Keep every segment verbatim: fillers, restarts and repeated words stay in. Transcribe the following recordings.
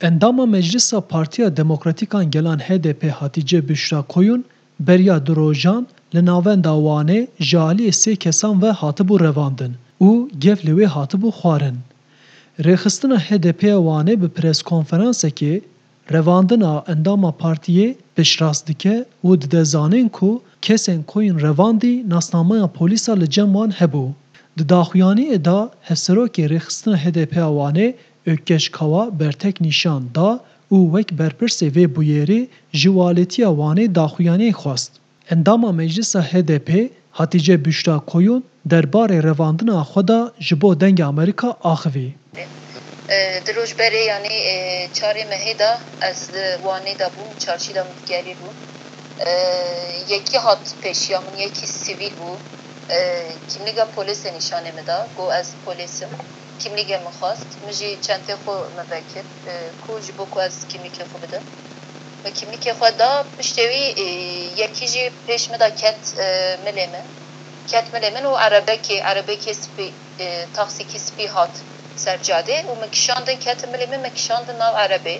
Endama Meclisa Partiya Demokratîk a Gelan H D P Hatice Büşra Koyun beriya du rojan li navenda Wanê ji aliyê sê kesan ve hatibû revandin û gev li wê hatibû xwarin. Rêxistina H D P ya Wanê bi preskonferansekê revandina endama partiyê piştrast dike û dide zanîn ku kesên Koyun revandî nasnameya polîsa li cem wan hebû. Di daxuyaniyê de hevserokê rêxistina H D P ya Wanê Ökkeş Kawa bertek nîşan da û wek berpirsê vê bûyerê ji walêtiya Wanê daxuyaniyê xwest. Endama Meclisa H D P Hatice Büşra Koyun derbarê revandina xwe de ji bo Dengê Amerîka axivî. E, di roj berê, yanî, e, çarê mehê de ez li Wanê de bûm, çarşî de min digerî bûm. E, yekî hat pêşiya min, yekî sivîl bû. E, kimlîga polêsê nîşanê min da, got ez polês im. Kimlîgê min xwest, min jî çentê xwe min vekir, e, ku ji bo ku ez kimlîkê xwe bidim. Min kimlîkê xwe da, piştê wî, e, yekî jî pêş min da ket, e, milê min. Ket milê min û erebekê, erebekê spî, e, taksîkî spî hat ser cadê û min kişandin, ketin milê min, min kişandin nav erebê.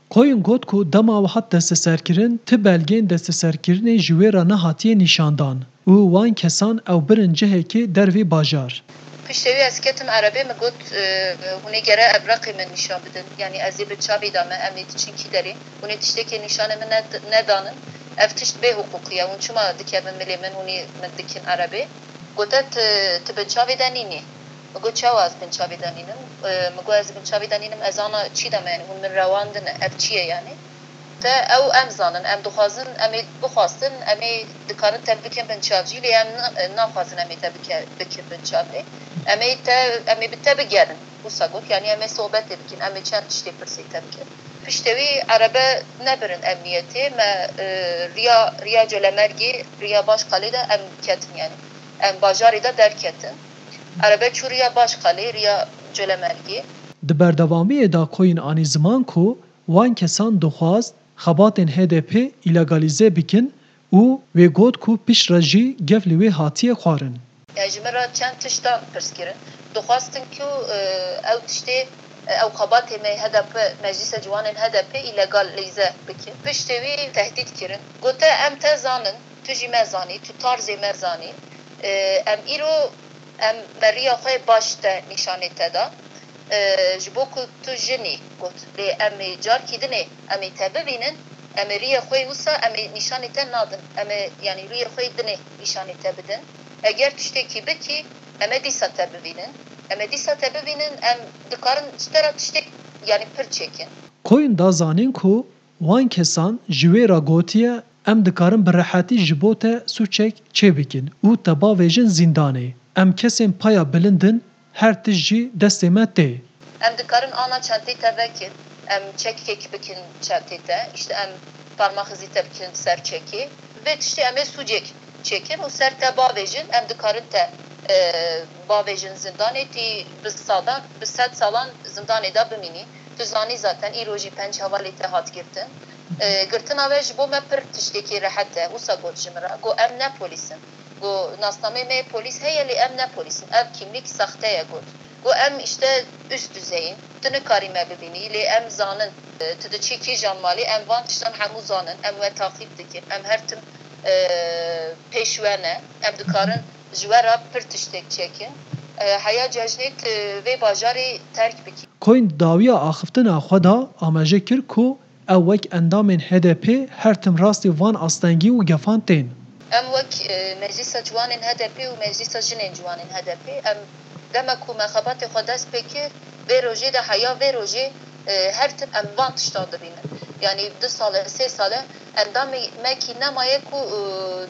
Koyun got ku dema ew hat desteserkirin, ti belgeyên desteserkirinê ji wê re nehatiye nîşandan û wan kesan ew birin cihekê dervê bajar. Piştê wî ez ketim erebê, min got, e, hûn ê gere evreqê min nîşan bidin. Yanî ez ê bi çavê de me, em ê diçin kî derê. Hûn ê tiştekê nîşanê min ned-, nedanin. Ev tişt bê hiqûqî ye. Hûn çima dikevin milê min, hûn ê min dikin erebê? Gote, tu, tu bi çavê de nînî. Min got, çawa ez bin çavê de nînim? E, min got, ez bin çavê de nînim, ez ana çî de me, yanî hûn min rewandine, ev çi ye yanî? Te ew em zanin, em dixwazin, em ê bixwastin, em ê dikarin te bikin binçav jî, lê em na-, naxwazin em ê te bike-, bikin binçav lê. Em ê te, em ê bi te bigerin, wisa got, yanî em ê sohbetê bikin, em ê çend tiştê pirsê te bikin. Piştê wî erebe nebirin emniyetê, me, e, riya, riya Colemêrgê, riya Başkalê de em ketin, yanî em bajarê de derketin. Erebe çû riya Başkalê, riya Colemêrgê. Di berdewamiyê de Koyun anî ziman ku wan kesan dixwast xebatên H D P îlegalîze bikin û wê got ku piştre jî gev li wê hatiye xwarin. Ji min re çend tiştan pirs kirin. Dixwastin ku, e, ew tiştê, e, ew xebatê me H D P, Meclîsa Ciwanên H D P îlegalîze bikin. Piştê wî tehdît kirin. Gote, em te zanin, tu jî me zanî, tu tarzê me zanî. E, em îro Em me riya xwe baş te nîşanê te da. E, ji bo ku tu jin î, got, lê em ê carkî dinê em ê te bibînin, em ê riyê xwe yê wisa em ê nîşanê te nadin. Em ê, yanî riyê xwe yê dinê nîşanê te bidin. Eger tiştekî bikî, em ê dîsa te bibînin. Em ê dîsa te bibînin, em dikarin ji te re tiştek, yanî pir çêkin. Koyun da zanîn ku wan kesan ji wê re gotiye, em dikarin bi rehetî ji bo te sûcek çêbikin û te bavêjin zîndanê. Em kesên paya bilind in, her tişt jî destê me tê. Em dikarin ana çentê te vekin, em çekek bikin çentê te, îşte em parmaxizî te bikin ser çekê. Vê tiştê em ê sûcek çêkin û ser te bavêjin, em dikarin te, e, bavêjin zindanê, tî bi sadan, bi sed salan zindanê de bimînî. Tu zanî zaten îro jî penc hevalê te hat girtin. E, girtina we ji bo me pir tiştekî rehet e. Wisa got ji min re. Got, em ne polîs in. Got, nasnameyê me yê polîs heye, lê em ne polîs in. Ev kimlîk saxte ye, got. Got, em îşte üst düzey in. Tu nikarî me bibînî, lê em zanin. E, tu diçî kîjan malê, em van tiştan hemû zanin. Em we taqîb dikin. Em her tim, e, pêş we ne. Em dikarin ji we re pir tiştek çêkin. E, heya cejnê tu vê bajarê terk bikî. Koyun di dawiya axiftina xwe de amaje kir ku ew wek endamên H D P her tim rastî van astengî û gefan tên. Em wek, e, Meclîsa Ciwanên H D P û Meclîsa Jinên Ciwanên H D P, em dema ku me xebatê xwe dest pê kir, vê rojê de heya vê rojê, e, her tim em van tiştan dibînin. Yanî du sal e, sê sal e, endamê me kî nemaye ku, e,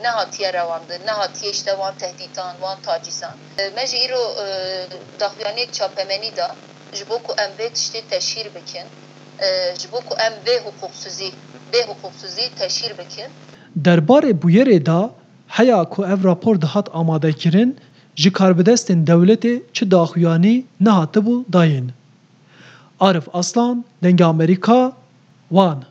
nehatiye rewandin, nehatiye îşte wan tehdîtan, wan tacîzan. E, me jî îro, e, daxuyaniyek çapemenî da ji bo ku em vê tiştê teşhîr bikin, e, ji bo ku em vê hiqûqsizî, vê hiqûqsizî teşhîr bikin. Derbarê bûyerê de heya ku ev rapor dihat amadekirin, ji karbidestên dewletê çi daxuyanî nehatibû dayîn. Arif Aslan, Dengê Amerîka, Wan.